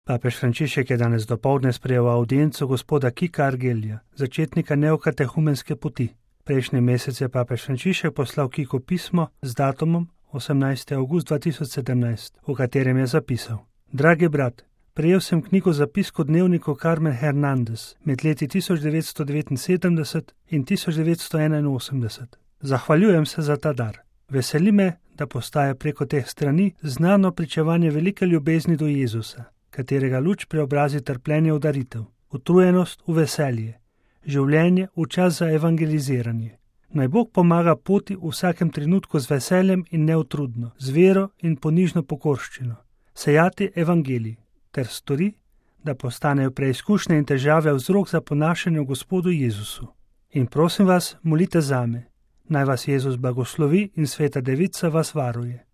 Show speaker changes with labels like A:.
A: Papež Frančišek je danes dopoldne sprejel audienco gospoda Kika Argelija, začetnika neokatehumenske poti. Prejšnji mesec je papež Frančišek poslal Kiku pismo z datumom 18. avgust 2017, v katerem je zapisal: Dragi brat, prejel sem knjigo zapiskov dnevniku Carmen Hernandez med leti 1979 in 1981. Zahvaljujem se za ta dar. Veseli me, da postaja preko teh strani znano pričevanje velike ljubezni do Jezusa, katerega luč preobrazi trpljenje v daritev, utrujenost v veselje, življenje v čas za evangeliziranje. Naj Bog pomaga poti v vsakem trenutku z veseljem in neutrudno, z vero in ponižno pokorščino, sejati evangelij, ter stori, da postanejo preizkušnje in težave vzrok za ponašanje v Gospodu Jezusu. In prosim vas, molite zame, naj vas Jezus blagoslovi in Sveta Devica vas varuje.